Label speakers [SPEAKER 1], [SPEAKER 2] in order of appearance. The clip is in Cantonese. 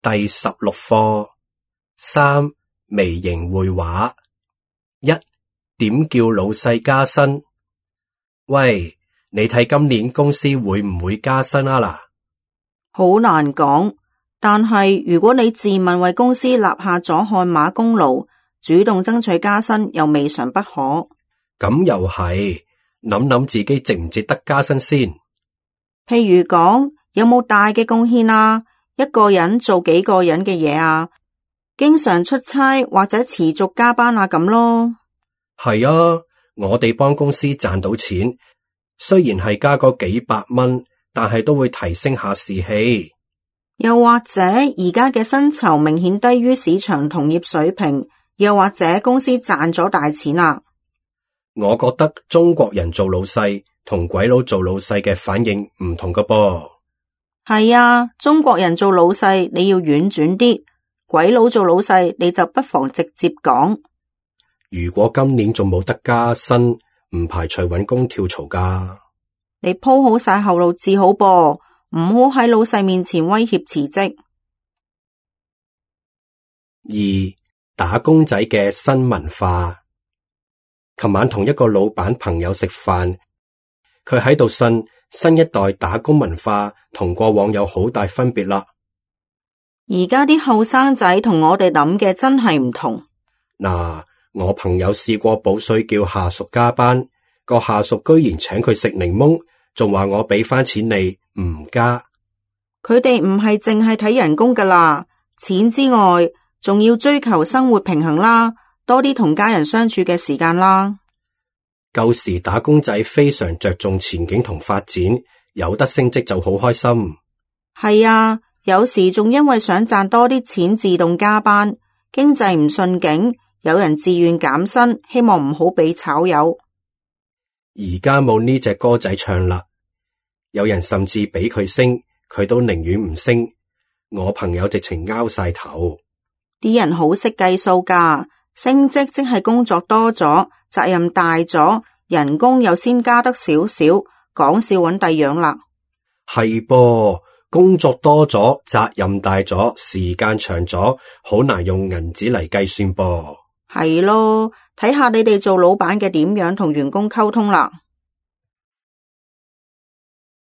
[SPEAKER 1] 第16課3微型繪畫。1. 點叫老細加薪？喂，你睇今年公司會唔會加薪啊嗱？
[SPEAKER 2] 好難講，但係如果你自問為公司立下咗汗馬功勞，主動爭取加薪又未嘗不可。
[SPEAKER 1] 咁又係，諗諗自己值唔值得加薪先。
[SPEAKER 2] 譬如講，有冇大嘅貢獻啊？一個人做幾個人嘅嘢啊？經常出差或者持續加班啊咁咯。
[SPEAKER 1] 係啊，我哋幫公司賺到錢，雖然係加個幾百蚊，但係都會提升下士氣。
[SPEAKER 2] 又或者而家嘅薪酬明顯低於市場同業水平，又或者公司賺咗大錢啊。
[SPEAKER 1] 我覺得中國人做老細同鬼佬做老細嘅反應唔同㗎噃。
[SPEAKER 2] 係啊，中國人做老細你要婉轉啲，鬼佬做老細你就不妨直接講。
[SPEAKER 1] 如果今年仲冇得加薪，唔排除搵工跳槽㗎。
[SPEAKER 2] 你鋪好晒後路至好噃，唔好喺老細面前威脅辭職。
[SPEAKER 1] 2. 打工仔嘅新文化。琴晚同一個老闆朋友食飯，佢喺度呻新一代打工文化同過往有好大分別啦。
[SPEAKER 2] 而家啲後生仔同我哋諗嘅真係唔同。
[SPEAKER 1] 嗱，我朋友試過補水叫下屬加班，個下屬居然請佢食檸檬，仲話我俾返錢你唔加。
[SPEAKER 2] 佢哋唔係淨係睇人工㗎啦，錢之外仲要追求生活平衡啦，多啲同家人相處嘅時間啦。
[SPEAKER 1] 舊時打工仔非常着重前景同發展，有得升職就好開心。
[SPEAKER 2] 係啊，有時仲因為想賺多啲錢自動加班，經濟唔順景，有人自願減薪，希望唔好俾炒魷。
[SPEAKER 1] 而家冇呢隻歌仔唱啦，有人甚至俾佢升，佢都寧願唔升。我朋友直情拗晒頭。
[SPEAKER 2] 啲人好識計數㗎，升職即係工作多咗，責任大咗，人工又先加得少少，講笑搵第樣啦。
[SPEAKER 1] 係噃，工作多咗，責任大咗，時間長咗，好難用銀紙嚟計算噃。
[SPEAKER 2] 係咯，睇下你哋做老闆嘅點樣同員工溝通啦。